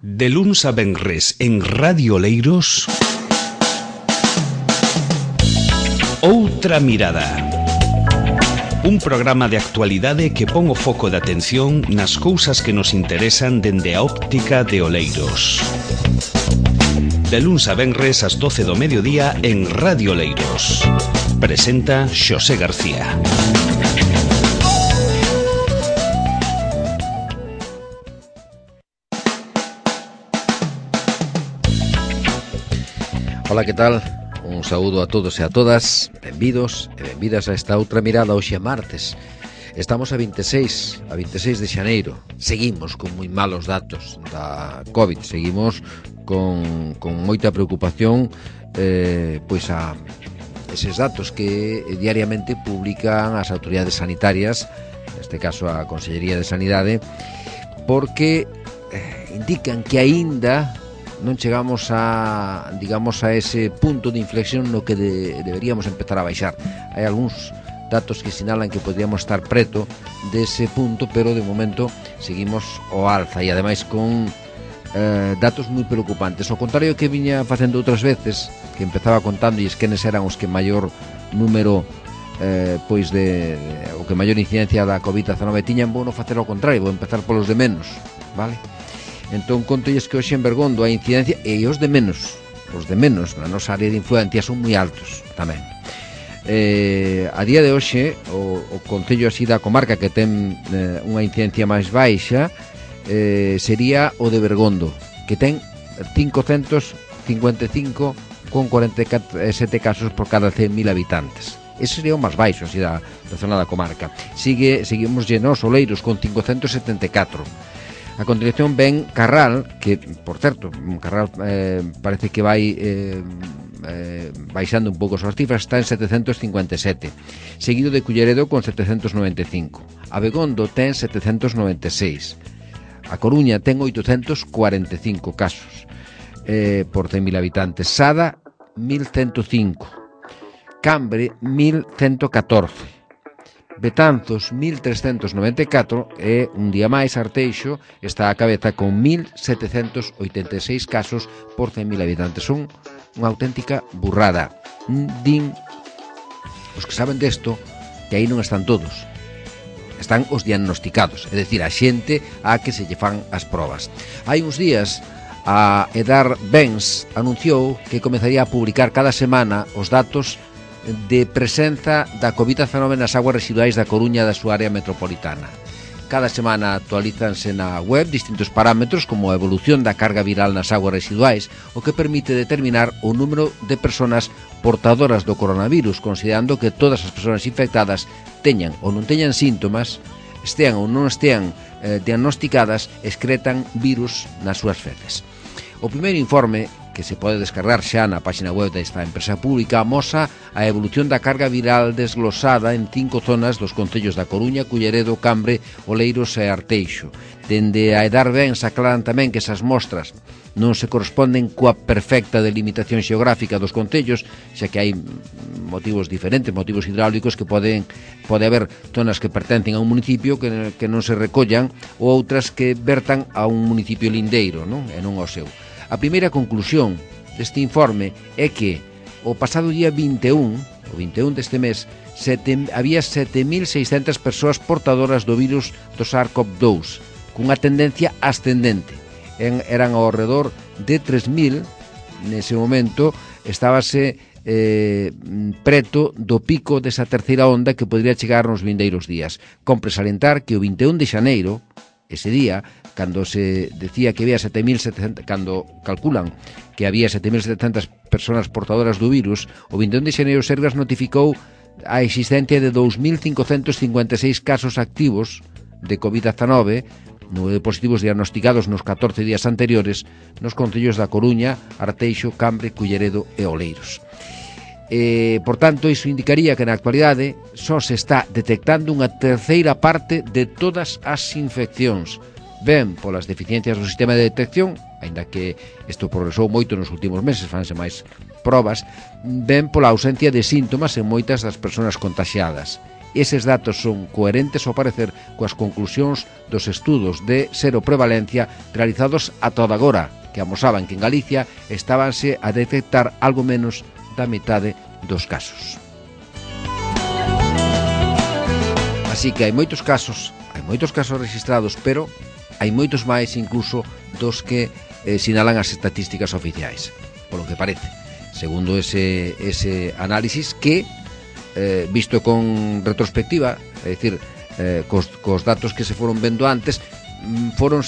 De luns a venres en Radio Oleiros, Outra Mirada. Un programa de actualidade que pon o foco de atención nas cousas que nos interesan dende a óptica de Oleiros. De luns a venres ás 12 do mediodía en Radio Oleiros. Presenta Xosé García. Ola, que tal? Un saúdo a todos e a todas. Benvidos e benvidas a esta outra mirada hoxe martes. Estamos a 26 de xaneiro. Seguimos con moi malos datos da COVID. Seguimos con moita preocupación pois a eses datos que diariamente publican as autoridades sanitarias, neste caso a Consellería de Sanidade, porque indican que aínda non chegamos a, digamos, a ese punto de inflexión no que deberíamos empezar a baixar. Hai algúns datos que sinalan que podríamos estar preto dese punto, pero de momento seguimos ao alza e ademais con datos moi preocupantes. Ao contrario que viña facendo outras veces, que empezaba contando e esquenes eran os que maior número pois o que maior incidencia da COVID-19 tiñan, vou non facer ao contrario, vou empezar polos de menos, vale? Entón contolles que hoxe en Bergondo a incidencia e os de menos na nosa área de influencia son moi altos tamén. A día de hoxe o concello así da comarca que ten unha incidencia máis baixa sería o de Bergondo, que ten 555,47 casos por cada 100.000 habitantes. Ese sería o máis baixo así da zona da comarca. Seguimos llenos Oleiros con 574. A continuación ven Carral, que, por certo, Carral parece que vai baixando un pouco as súas cifras, está en 757. Seguido de Culleredo con 795. Abegondo ten 796. A Coruña ten 845 casos por 100.000 habitantes. Sada, 1.105. Cambre, 1.114. Betanzos, 1.394 e un día máis Arteixo está á cabeza con 1.786 casos por 100.000 habitantes. Son unha auténtica burrada. Din os que saben desto que aí non están todos, están os diagnosticados, é dicir, a xente a que se lle fan as probas. Hai uns días a Edar Bens anunciou que comezaría a publicar cada semana os datos de presenza da COVID-19 nas aguas residuais da Coruña e da súa área metropolitana. Cada semana actualízanse na web distintos parámetros como a evolución da carga viral nas aguas residuais, o que permite determinar o número de persoas portadoras do coronavirus, considerando que todas as persoas infectadas teñan ou non teñan síntomas, estean ou non estean diagnosticadas, excretan virus nas súas feces. O primeiro informe, que se pode descargar xa na página web desta empresa pública, amosa a evolución da carga viral desglosada en 5 zonas dos concellos da Coruña, Culleredo, Cambre, Oleiros e Arteixo. Dende a Edar Ben aclaran tamén que esas mostras non se corresponden coa perfecta delimitación xeográfica dos concellos, xa que hai motivos diferentes, motivos hidráulicos, que pode haber zonas que pertencen a un municipio que non se recollan ou outras que vertan a un municipio lindeiro, non? E non ao seu. A primeira conclusión deste informe é que o pasado día 21 deste mes, había 7.600 persoas portadoras do virus do SARS-CoV-2, cunha tendencia ascendente. Eran ao redor de 3.000, nese momento estábase preto do pico desa terceira onda que podría chegar nos vindeiros días. Compre salientar que o 21 de xaneiro, ese día, cando se decía que había 7.700, cando calculan que había 7.700 persoas portadoras do virus, o 21 de xaneiro Sergas notificou a existencia de 2.556 casos activos de COVID-19, número de positivos diagnosticados nos 14 días anteriores nos concellos da Coruña, Arteixo, Cambre, Culleredo e Oleiros. Por tanto, iso indicaría que na actualidade só se está detectando unha terceira parte de todas as infeccións, ben polas deficiencias do sistema de detección, aínda que isto progresou moito nos últimos meses, fanse máis probas, ben pola ausencia de síntomas en moitas das persoas contaxiadas. Eses datos son coherentes ao parecer coas conclusións dos estudos de seroprevalencia realizados a toda agora, que amosaban que en Galicia estábanse a detectar algo menos da metade dos casos. Así que hai moitos casos registrados, pero hai moitos máis incluso dos que sinalan as estatísticas oficiais, polo que parece, segundo ese análisis que, visto con retrospectiva, é dicir, cos datos que se foron vendo antes, foron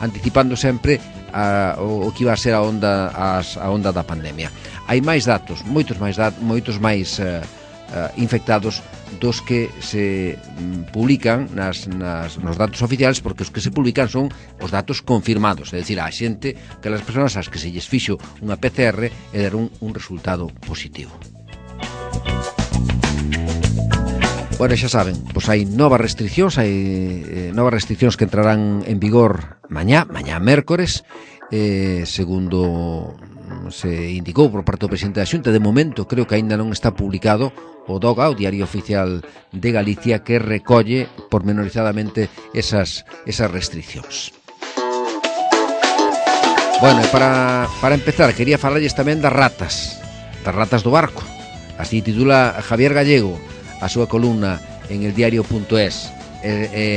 anticipando sempre o que iba a ser a onda da pandemia. Hai máis datos, moitos máis infectados dos que se publican nos datos oficiales, porque os que se publican son os datos confirmados, é dicir, a xente, que as persoas ás que se lles fixo unha PCR e deron un resultado positivo. Bueno, xa saben, pois hai novas restriccións que entrarán en vigor mañá mércores, segundo se indicou por parte do presidente da Xunta. De momento creo que aínda non está publicado o DOGA, o Diario Oficial de Galicia, que recolle pormenorizadamente esas restriccións. Bueno, e para empezar, quería falarlles tamén das ratas do barco. Así titula Javier Gallego a súa columna en el diario.es.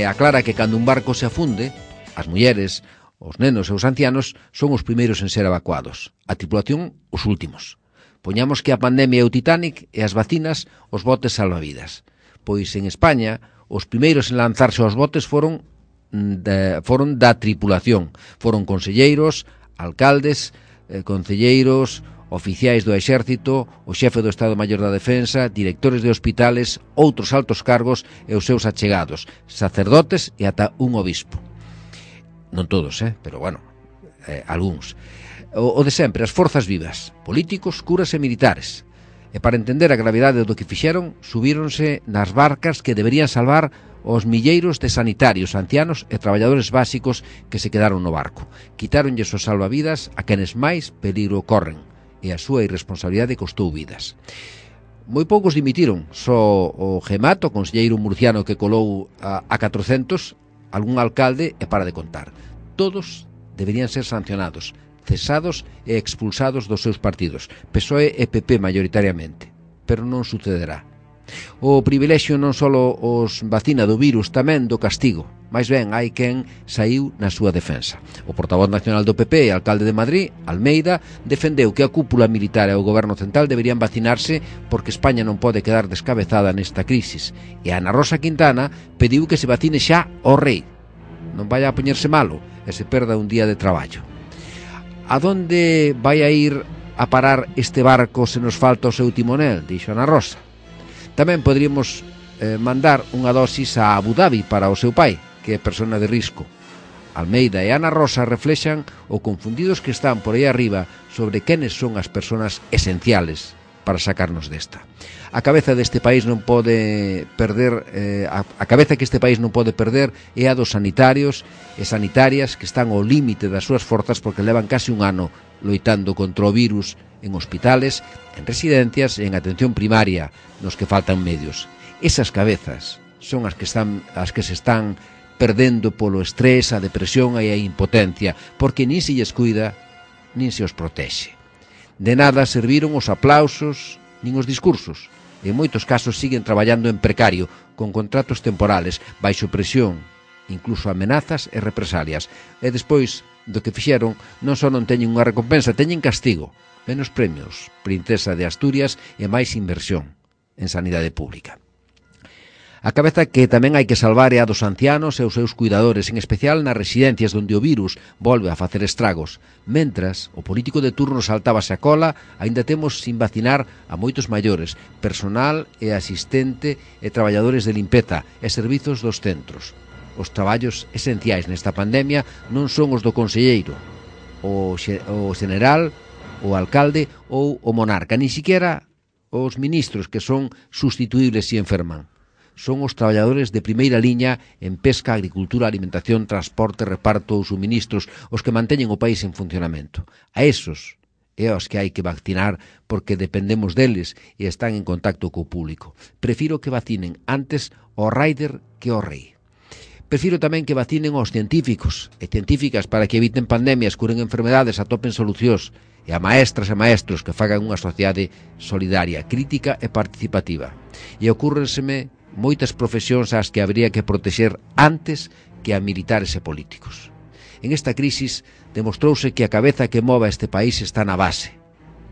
Aclara que cando un barco se afunde, as mulleres, os nenos e os ancianos son os primeiros en ser evacuados, a tripulación os últimos. Poñamos que a pandemia é o Titanic e as vacinas os botes salvavidas. Pois en España os primeiros en lanzarse aos botes foron da tripulación. Foron conselleiros, alcaldes, concelleiros, oficiais do exército, o xefe do Estado Maior da Defensa, directores de hospitales, outros altos cargos e os seus achegados, sacerdotes e ata un obispo. Non todos, pero bueno, algúns. O de sempre, as forzas vivas, políticos, curas e militares. E para entender a gravidade do que fixeron, subíronse nas barcas que deberían salvar os milleiros de sanitarios, ancianos e traballadores básicos que se quedaron no barco. Quitáronlles os salvavidas a quenes máis peligro corren, e a súa irresponsabilidade costou vidas. Moi poucos dimitiron, só o Gemato, o conselleiro murciano que colou a 400, algún alcalde e para de contar. Todos deberían ser sancionados, cesados e expulsados dos seus partidos, PSOE e PP maioritariamente, pero non sucederá. O privilexio non só os vacina do virus, tamén do castigo. Mais ben, hai quen saiu na súa defensa. O portavoz nacional do PP e alcalde de Madrid, Almeida, defendeu que a cúpula militar e o goberno central deberían vacinarse porque España non pode quedar descabezada nesta crisis. E Ana Rosa Quintana pediu que se vacine xa o rei. Non vai a poñerse malo e se perda un día de traballo. A donde vai a ir a parar este barco se nos falta o seu timonel, dixo Ana Rosa. Tamén poderíamos mandar unha dosis a Abu Dhabi para o seu pai, que é persona de risco. Almeida e Ana Rosa reflexan o confundidos que están por aí arriba sobre quenes son as persoas esenciales para sacarnos desta. A cabeza deste país non pode perder, a cabeza que este país non pode perder é a dos sanitarios e sanitarias que están ao límite das súas forzas porque levan case un ano loitando contra o virus en hospitales, en residencias e en atención primaria, nos que faltan medios. Esas cabezas son as que se están perdendo polo estrés, a depresión e a impotencia, porque nin se lles cuida, nin se os protexe. De nada serviron os aplausos nin os discursos. En moitos casos siguen traballando en precario, con contratos temporales, baixo presión, incluso amenazas e represalias. E despois do que fixeron, non só non teñen unha recompensa, teñen castigo, menos premios, Princesa de Asturias e máis inversión en sanidade pública. A cabeza que tamén hai que salvar é a dos ancianos e os seus cuidadores, en especial nas residencias onde o virus volve a facer estragos. Mentras, o político de turno saltábase a cola, aínda temos sin vacinar a moitos maiores, personal e asistente e traballadores de limpeza e servizos dos centros. Os traballos esenciais nesta pandemia non son os do conselleiro, o general, o alcalde ou o monarca, ni siquiera os ministros que son sustituibles se enferman. Son os traballadores de primeira liña en pesca, agricultura, alimentación, transporte, reparto ou suministros, os que manteñen o país en funcionamento. A esos e aos que hai que vacinar porque dependemos deles e están en contacto co público. Prefiro que vacinen antes o rider que o rei. Prefiro tamén que vacinen aos científicos e científicas para que eviten pandemias, curen enfermedades, atopen solucións, e a maestras e maestros que fagan unha sociedade solidaria, crítica e participativa. E ocúrrenseme moitas profesións ás que habría que protexer antes que a militares e políticos. En esta crisis demostrouse que a cabeza que mova este país está na base.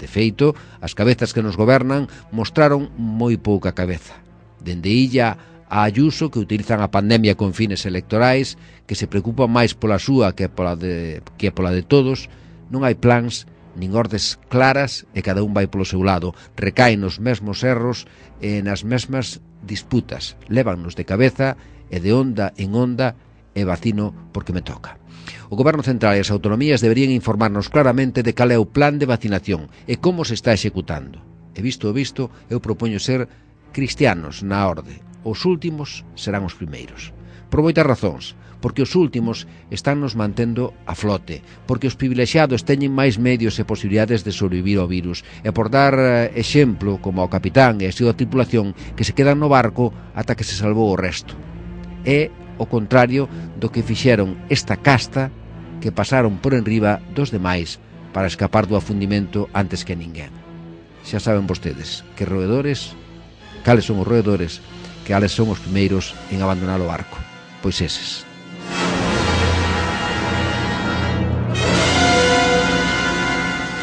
De feito, as cabezas que nos gobernan mostraron moi pouca cabeza. Dende Illa a Ayuso, que utilizan a pandemia con fines electorais, que se preocupan máis pola súa que pola de todos, non hai plans nin ordes claras e cada un vai polo seu lado, recaen nos mesmos erros e nas mesmas disputas, lévannos de cabeza e de onda en onda e vacino porque me toca. O Goberno Central e as autonomías deberían informarnos claramente de cal é o plan de vacinación e como se está executando. E visto o visto, eu propoño ser cristianos na orde. Os últimos serán os primeiros. Por moitas razóns, porque os últimos están nos mantendo a flote, porque os privilexiados teñen máis medios e posibilidades de sobrevivir ao virus, e por dar exemplo, como ao capitán e a súa tripulación, que se quedan no barco ata que se salvou o resto. É o contrario do que fixeron esta casta que pasaron por enriba dos demais para escapar do afundimento antes que ninguén. Xa saben vostedes que roedores, cales son os roedores, que ales son os primeiros en abandonar o barco. Pois eses.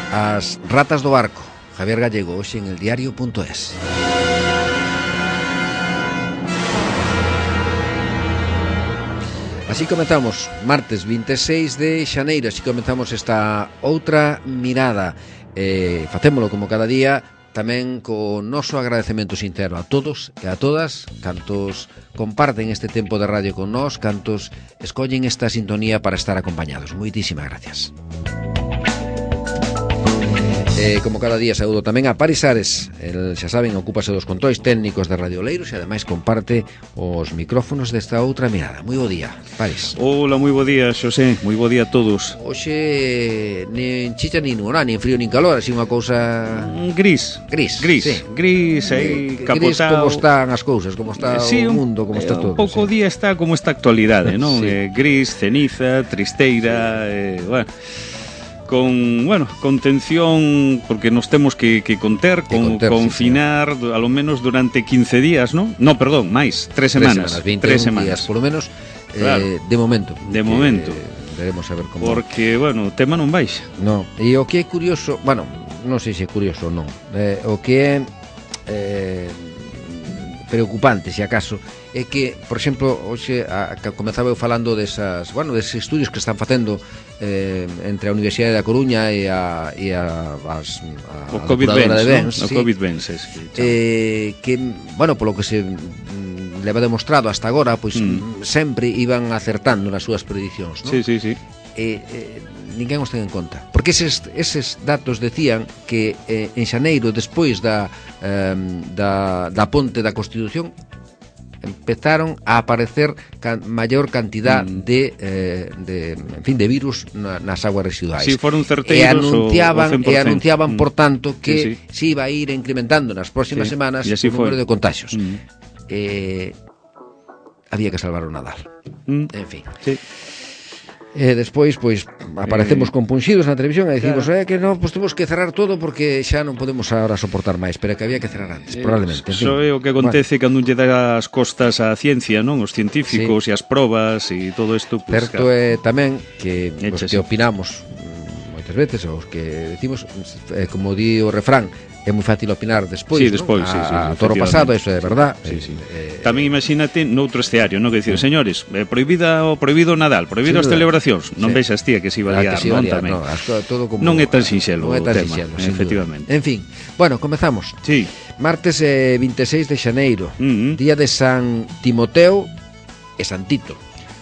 As ratas do barco. Javier Gallego, hoxe en eldiario.es. Así comezamos, martes 26 de xaneiro, así comezamos esta outra mirada. Facémolo como cada día, tamén co noso agradecemento sincero a todos e a todas, cantos comparten este tempo de radio con nós, cantos escollen esta sintonía para estar acompañados. Moitísimas gracias. Como cada día saúdo tamén a Paris Ares. El, xa saben, ocúpase dos controis técnicos de Radio Oleiros e ademais comparte os micrófonos desta outra mirada. Moi bo día, Paris. Hola, moi bo día, Xosé. Moi bo día a todos. Hoxe nin chicha nin nublar, nin frío nin calor, así unha cousa gris, sí. Gris aí capotado. Gris como están as cousas, como está sí, o mundo, como está todo. Un pouco sí. Día está como esta actualidade, non? Sí. Gris, ceniza, tristeira, bueno, con tensión, porque nos temos que conter, confinar, sí, a lo menos durante 15 días, ¿no? No, perdón, máis, 3 semanas. 21 días, por lo menos, claro, de momento. De momento. Veremos a ver como... Porque, bueno, o tema non baixa. No, e o que é curioso, bueno, non sei se é curioso ou non, o que é preocupante, se acaso, é que, por exemplo, hoxe comezaba eu falando deses estudios que están facendo entre a Universidade da Coruña e a Covid-20, de Bens, ¿no? Sí, o COVID-20 que, bueno, polo que se leva demostrado hasta agora, pois sempre iban acertando nas súas predicións, non? Sí. Ninguén os ten en conta, porque eses datos decían que en xaneiro, despois da ponte da Constitución, empezaron a aparecer maior cantidad de virus nas aguas residuais. Si foron certeiros e anunciaban por tanto que se iba a ir incrementando nas próximas semanas o número de contagios. Había que salvar o Nadal. En fin. Sí. Despois, pois, aparecemos compunxidos na televisión e dicimos, claro, que non, pois temos que cerrar todo porque xa non podemos agora soportar máis, pero que había que cerrar antes, probablemente. Iso é o que acontece cando lle dá as costas á ciencia, non? Os científicos e as probas e todo isto. Pues, certo é tamén que os que opinamos moitas veces, os que decimos, como di o refrán, é moi fácil opinar despois, despois, ¿no? A toro pasado, eso é verdad. Tamén imagínate noutro escenario, non? Que dicir, señores, prohibido Nadal, prohibido as celebracións. Non vexas, tía, que se iba a liar, non? Tamén. Non é tan sinxelo o tema, efectivamente. En fin, bueno, comezamos. Sí. Martes 26 de xaneiro, día de San Timoteo e San Tito.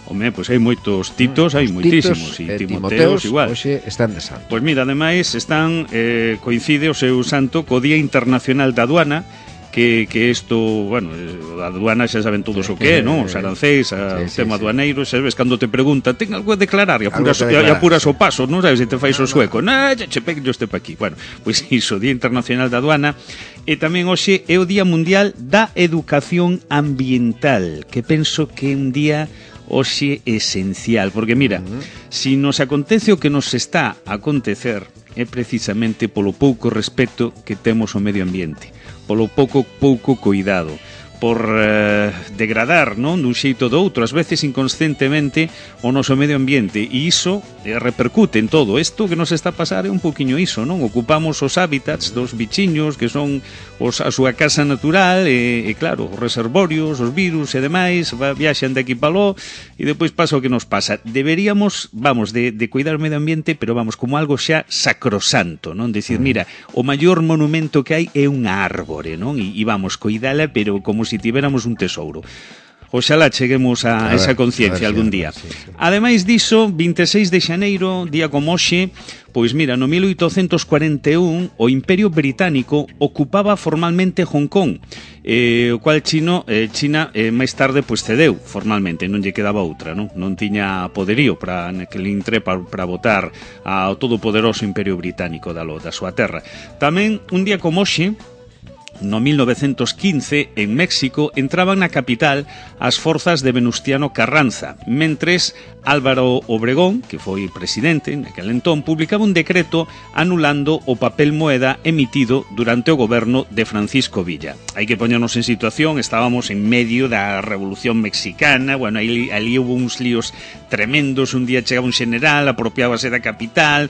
Home, pois hai moitos Titos, hai moitísimos, e Timoteos igual. Hoxe están de santo. Pois mira, ademais, coincide o seu santo co Día Internacional da Aduana que isto, bueno, a aduana xa saben todos o que é, non? Os arancéis, o tema aduaneiro, sabes, cando te preguntan, ten algo a declarar, e apuras o paso, non sabes se te fais o sueco, che pegue este pa aquí. Bueno, pois iso, Día Internacional da Aduana, e tamén hoxe é o Día Mundial da Educación Ambiental, que penso que é un día hoxe esencial, porque mira, si nos acontece o que nos está a acontecer, é precisamente polo pouco respeto que temos ao medio ambiente, polo pouco cuidado, por degradar, non, dun xeito do outro, ás veces inconscientemente, o noso medio ambiente, e iso repercute en todo. Isto que nos está a pasar é un poquinho iso, non? Ocupamos os hábitats dos bichiños que son a súa casa natural e claro, os reservorios, os virus e demais viaxan de aquí para aló e depois pasa o que nos pasa. Deberíamos, de cuidar o medio ambiente, pero como algo xa sacrosanto, non? Decir, mira, o maior monumento que hai é unha árbore, non? E cuidala, pero como se tivéramos un tesouro. Oxalá cheguemos a esa conciencia algún día. Ademais diso, 26 de xaneiro, día como hoxe, pois mira, no 1841 o Imperio Británico ocupaba formalmente Hong Kong, o cual China máis tarde pois cedeu formalmente, non lle quedaba outra, non tiña poderío para botar ao todopoderoso Imperio Británico da súa terra. Tamén un día como hoxe, no 1915, en México, entraban na capital as forzas de Venustiano Carranza, mentres Álvaro Obregón, que foi presidente naquele entón, publicaba un decreto anulando o papel moeda emitido durante o goberno de Francisco Villa. Hai que poñernos en situación, estábamos en medio da Revolución Mexicana, bueno, ali hubo uns líos tremendos, un día chegaba un general, apropiábase da capital,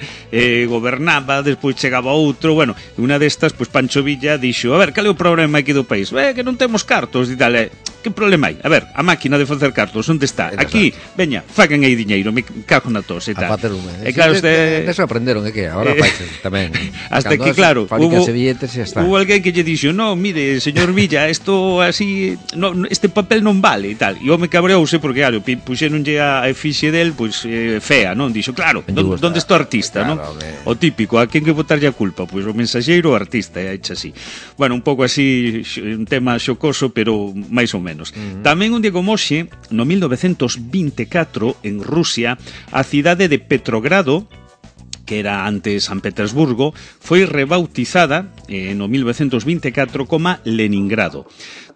gobernaba, despois chegaba outro, bueno, unha destas, pois Pancho Villa dixo, a ver, cal é o problema aquí do país? Que non temos cartos, e tal, que problema hai? A ver, a máquina de facer cartos, onde está? Aquí, veña, fagan aí diñeiro, me cago na tos e tal. E claro, eso aprenderon, é que agora faixe tamén. Hasta que, claro, hubo alguén que lle dixo, no, mire, señor Villa, isto así, este papel non vale e tal. E o me cabreouse porque, claro, puxéronlle a efixe del, pois, fea, non? Dixo, claro, onde está o artista, non? O típico, a quen que botarlle a culpa? Pois o mensaxeiro, o artista, é hecho así. Bueno, un pouco así, un tema xocoso, pero máis ou menos. Tamén un día como hoxe, no 1924, en Rusia, a cidade de Petrogrado, que era antes San Petersburgo, foi rebautizada no 1924 como Leningrado.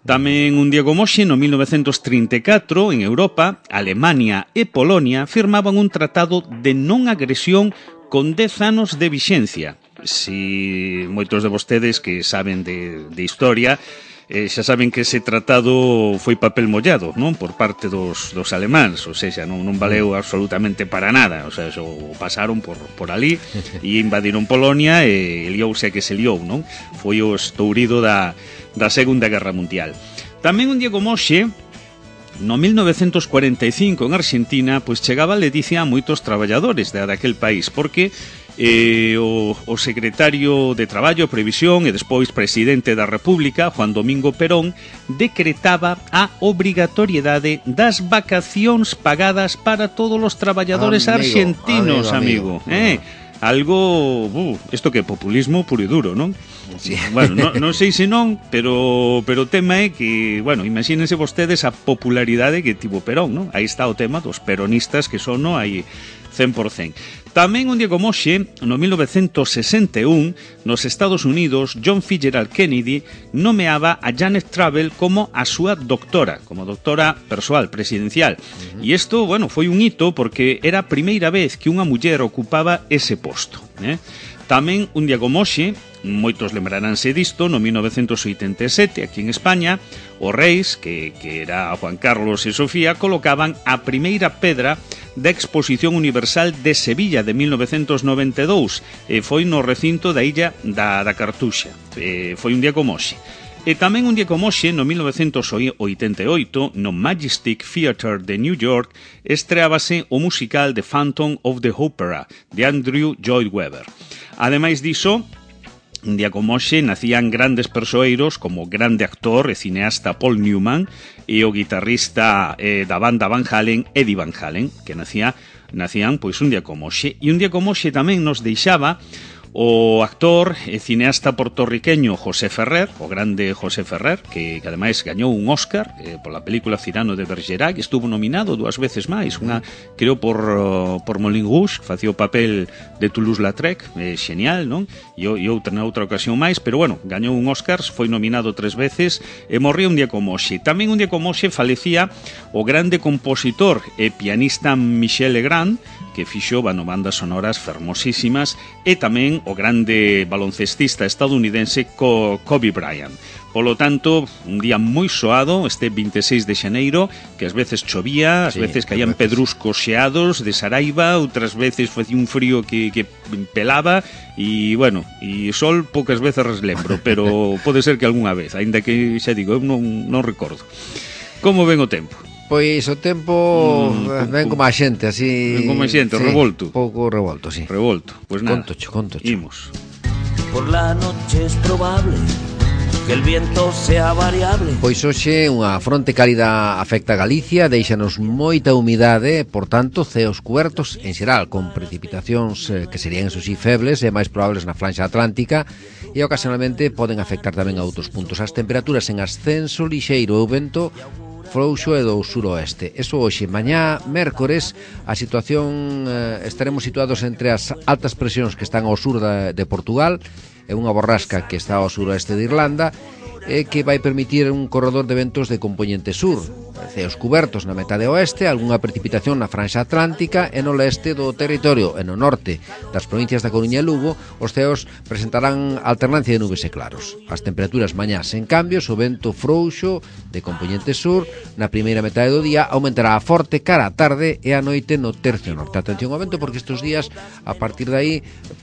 Tamén un día como hoxe, no 1934, en Europa, Alemania e Polonia firmaban un tratado de non agresión con 10 anos de vixencia. Si moitos de vostedes que saben de historia xa saben que ese tratado foi papel mollado, non? Por parte dos alemáns, ou seja, non valeu absolutamente para nada, o sea, o pasaron por ali e invadiron Polonia e liouse a que se liou, non? Foi o estourido da Segunda Guerra Mundial. Tamén un día como hoxe, no 1945, en Argentina, pois chegaba a ledicia a moitos traballadores daquel país, porque o secretario de Traballo, Previsión e despois presidente da República, Juan Domingo Perón, decretaba a obrigatoriedade das vacacións pagadas para todos os traballadores argentinos, amigo. Algo, isto que é populismo puro e duro, non? Sí. Bueno, non sei se non, pero o tema é que, bueno, imagínense vostedes a popularidade que tivo Perón, non? Aí está o tema dos peronistas que son, non? Aí 100%. Tamén un día como hoxe, no 1961, nos Estados Unidos, John Fitzgerald Kennedy nomeaba a Janet Travell como a súa doctora, como doctora persoal presidencial. E isto, bueno, foi un hito porque era a primeira vez que unha muller ocupaba ese posto. Tamén un día como hoxe, moitos lembraránse disto, no 1987, aquí en España, os reis, que era Juan Carlos e Sofía, colocaban a primeira pedra da Exposición Universal de Sevilla de 1992, foi no recinto da illa da Cartuxa. Foi un día como hoxe. E tamén un día como hoxe, no 1988, no Majestic Theatre de New York, estreábase o musical The Phantom of the Opera, de Andrew Lloyd Webber. Ademais diso, un día como hoxe nacían grandes persoeiros como o grande actor e cineasta Paul Newman e o guitarrista da banda Van Halen, Eddie Van Halen, que nacían pois un día como hoxe. E un día como hoxe tamén nos deixaba O actor e cineasta portorriqueño José Ferrer, o grande José Ferrer, que ademais gañou un Óscar pola película Cyrano de Bergerac, estuvo nominado 2 veces máis, unha creo por Moulin Rouge, que facía o papel de Toulouse-Lautrec, xenial, non? E outra ocasión máis, pero bueno, gañou un Óscar, foi nominado 3 veces e morreu un día como hoxe. Tamén un día como hoxe falecía o grande compositor e pianista Michel Legrand, que fixo bandas sonoras fermosísimas, e tamén o grande baloncestista estadounidense Kobe Bryant. Polo tanto, un día moi soado, este 26 de xaneiro, que ás veces chovía, ás veces caían pedruscos xeados de Saraiva, outras veces facía un frío que pelaba, e, bueno, e sol poucas veces reslembro, pero pode ser que algunha vez, aínda que, xa digo, eu non recordo. Como ven o tempo? Pois o tempo ven como a xente, así... Ven como a xente, sí, revolto. Pouco revolto, sí. Revolto, pois nada. Contocho. Imos. Por la noche es probable que el viento sea variable. Pois hoxe unha fronte cálida afecta a Galicia, deixanos moita humidade, por tanto, ceos cubertos en xeral, con precipitacións que serían, eso sí, febles e máis probables na franxa atlántica, e ocasionalmente poden afectar tamén a outros puntos. As temperaturas en ascenso lixeiro e o vento frouxo e do suroeste. Eso hoxe, mañá, mércores, a situación estaremos situados entre as altas presións que están ao sur de Portugal e unha borrasca que está ao suroeste de Irlanda, que vai permitir un corredor de ventos de compoñente sur, ceos cubertos na metade oeste, algunha precipitación na franxa atlántica e no leste do territorio, e no norte das provincias da Coruña e Lugo, os ceos presentarán alternancia de nubes e claros. As temperaturas mañás en cambios, o vento frouxo de compoñente sur na primeira metade do día aumentará a forte cara a tarde e a noite no tercio norte. Atención ao vento, porque estes días, a partir de aí,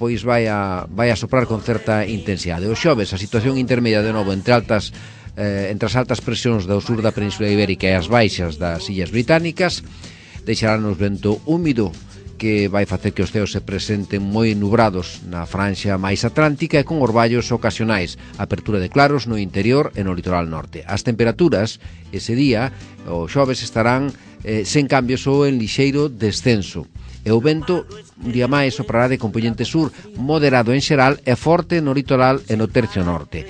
pois vai a soprar con certa intensidade. O xoves, a situación intermedia de novo entre as altas presións do sur da Península Ibérica e as baixas das Illas Británicas, deixarán-nos vento húmido que vai facer que os ceos se presenten moi nubrados na franxa máis atlántica e con orballos ocasionais, apertura de claros no interior e no litoral norte. As temperaturas ese día, o xoves, estarán sen cambios ou en lixeiro descenso. E o vento, un día máis, soprará de compoñente sur, moderado en xeral e forte no litoral e no tercio norte.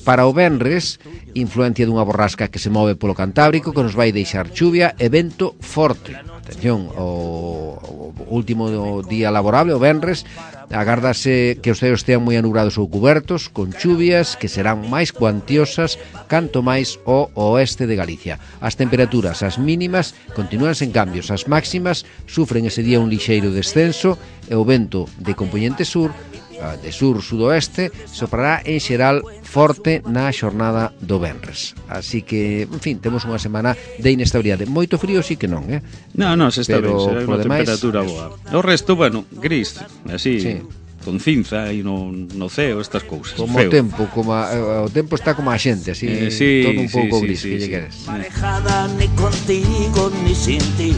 Para o venres, influencia dunha borrasca que se move polo Cantábrico, que nos vai deixar chuvia e vento forte. Atención, o último día laborable, o venres, agárdase que os ceos estean moi anubrados ou cubertos, con chuvias que serán máis cuantiosas canto máis ao oeste de Galicia. As temperaturas, as mínimas, continúan sen cambios. As máximas sufren ese día un lixeiro descenso e o vento de compoñente sur, de sur-sudoeste, soprará en xeral forte na xornada do venres. Así que, en fin, temos unha semana de inestabilidade. Moito frío sí que non, Non, se está ben, será unha temperatura boa. O resto, bueno, gris, así, sí, con cinza e no ceo, estas cousas. Como feo. O tempo está como a xente, así, sí, todo un pouco gris, que lle queres. Ni contigo, ni sin ti.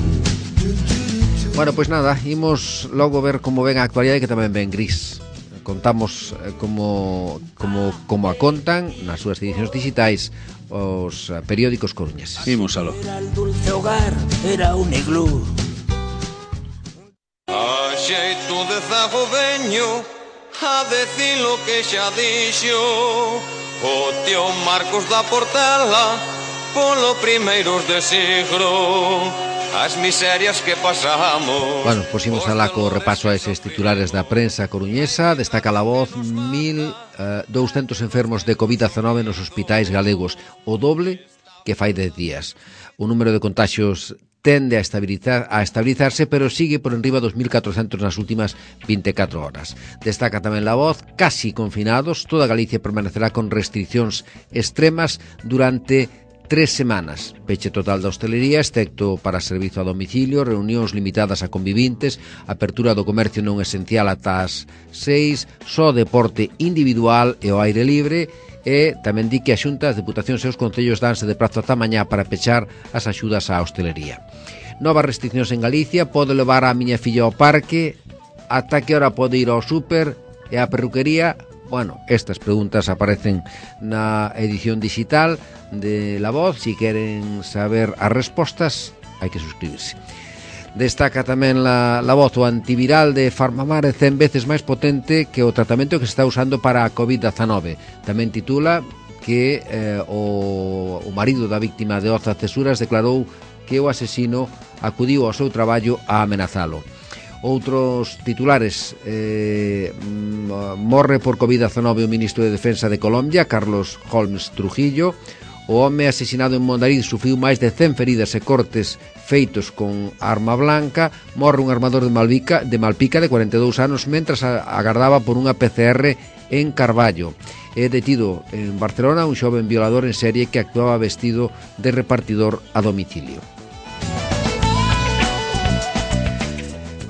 Bueno, pois nada, imos logo ver como ven a actualidade, que tamén ven gris. Contamos como a contan nas súas edicións digitais os periódicos coruñeses. Imos aló. El dulce hogar era un iglú. A xeito de zago veño a decir lo que xa dixo o tío Marcos da Portela polo primeiros de siglo. As miserias que pasamos. Bueno, pusimos alá co repaso a eses titulares da prensa coruñesa. Destaca La Voz: 1.200 enfermos de COVID-19 nos hospitais galegos, o doble que fai 10 días. O número de contaxios tende a estabilizarse, pero sigue por enriba dos 1.400 nas últimas 24 horas. Destaca tamén La Voz: casi confinados, toda Galicia permanecerá con restriccións extremas durante 3 semanas. Peche total da hostelería, excepto para servizo a domicilio, reunións limitadas a convivintes, apertura do comercio non esencial ata as 6, só deporte individual e ao aire libre, e tamén di que a Xunta, as Deputacións e os Concellos danse de prazo ata mañá para pechar as axudas á hostelería. Novas restriccións en Galicia: pode levar a miña filla ao parque, ata que hora pode ir ao súper e á perruquería. Bueno, estas preguntas aparecen na edición digital de La Voz. Si queren saber as respostas, hai que suscribirse. Destaca tamén la voz, o antiviral de Farmamar é 100 veces máis potente que o tratamento que se está usando para a COVID-19. Tamén titula que o marido da víctima de Oza Cesuras declarou que o asesino acudiu ao seu traballo a amenazalo. Outros titulares, morre por COVID-19 o ministro de Defensa de Colombia, Carlos Holmes Trujillo. O home asesinado en Mondariz sufriu máis de 100 feridas e cortes feitos con arma blanca. Morre un armador de Malpica de 42 anos mentras agardaba por unha PCR en Carballo. É detido en Barcelona un xoven violador en serie que actuaba vestido de repartidor a domicilio.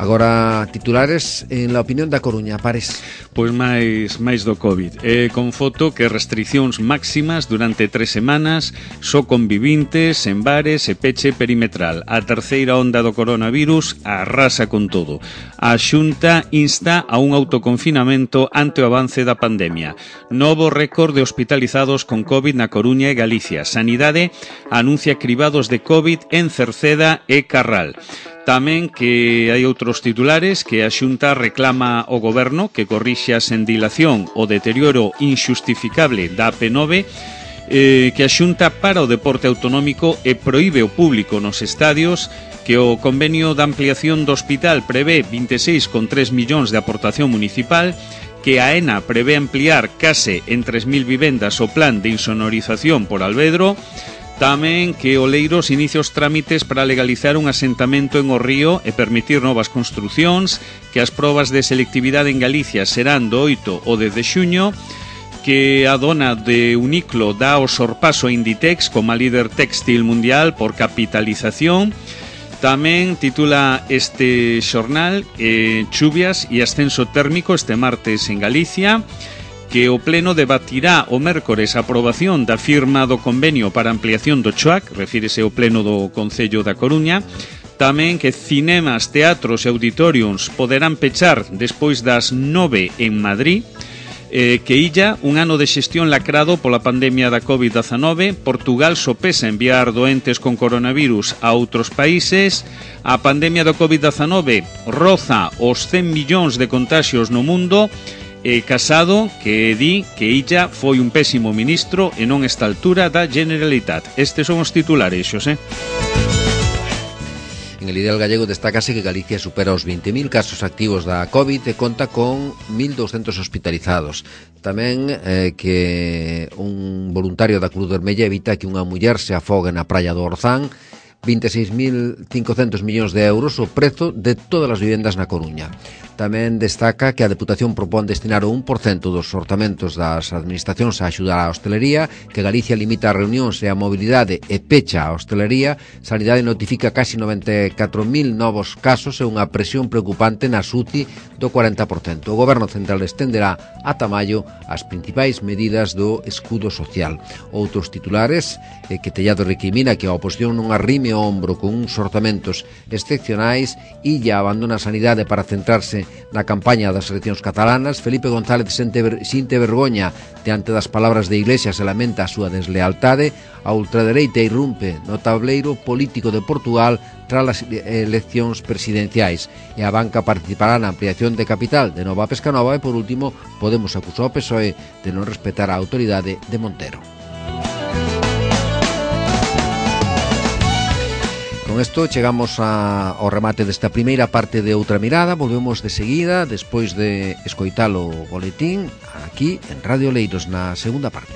Agora, titulares en la opinión da Coruña, Pares. Pois máis do COVID. Con foto que restriccións máximas durante 3 semanas, só convivintes en bares e peche perimetral. A terceira onda do coronavirus arrasa con todo. A Xunta insta a un autoconfinamento ante o avance da pandemia. Novo récord de hospitalizados con COVID na Coruña e Galicia. Sanidade anuncia cribados de COVID en Cerceda e Carral. Tamén que hai outros titulares que a Xunta reclama ao Goberno que corrixa sen dilación o deterioro inxustificable da AP9, que a Xunta para o deporte autonómico e proíbe o público nos estadios, que o convenio de ampliación do hospital prevé 26,3 millóns de aportación municipal, que a ENA prevé ampliar case en 3.000 vivendas o plan de insonorización por Alvedro. Tamén que Oleiros inicia os trámites para legalizar un asentamento en O Río e permitir novas construcións, que as probas de selectividade en Galicia serán do 8 ao 10 de xuño, que a dona de Uniclo dá o sorpaso a Inditex como a líder textil mundial por capitalización. Tamén titula este xornal chuvias e ascenso térmico este martes en Galicia, que o Pleno debatirá o mércores a aprobación da firma do convenio para ampliación do CHOAC, refírese ao Pleno do Concello da Coruña. Tamén que cinemas, teatros e auditoriums poderán pechar despois das 9 en Madrid. Que illa un ano de xestión lacrado pola pandemia da COVID-19. Portugal sopesa enviar doentes con coronavirus a outros países. A pandemia do COVID-19 roza os 100 millóns de contaxios no mundo. Casado, que di que illa foi un pésimo ministro e non esta altura da Generalitat. Estes son os titulares, Xosé. En el Ideal Gallego destácase que Galicia supera os 20.000 casos activos da COVID e conta con 1.200 hospitalizados. Tamén que un voluntario da Cruz Vermella evita que unha muller se afogue na praia do Orzán. 26.500 millóns de euros o prezo de todas as vivendas na Coruña. Tamén destaca que a Deputación propón destinar o 1% dos orzamentos das administracións a axudar á hostelería, que Galicia limita as reunións e a mobilidade e pecha a hostelería. Sanidade notifica casi 94.000 novos casos e unha presión preocupante na UCI do 40%. O Goberno Central estenderá ata maio as principais medidas do escudo social. Outros titulares que Tellado recrimina que a oposición non arrime o ombro con uns orzamentos excepcionais e ya abandona a sanidade para centrarse na campaña das eleccións catalanas. Felipe González sinte vergoña diante das palabras de Iglesias e lamenta a súa deslealtade. A ultradereita irrumpe no tableiro político de Portugal tras as eleccións presidenciais e a banca participará na ampliación de capital de Nova Pescanova e, por último, Podemos acusou ao PSOE de non respetar a autoridade de Montero. Con isto chegamos ao remate desta primeira parte de Outra Mirada. Volvemos de seguida, despois de escoitar o boletín, aquí en Radio Oleiros, na segunda parte.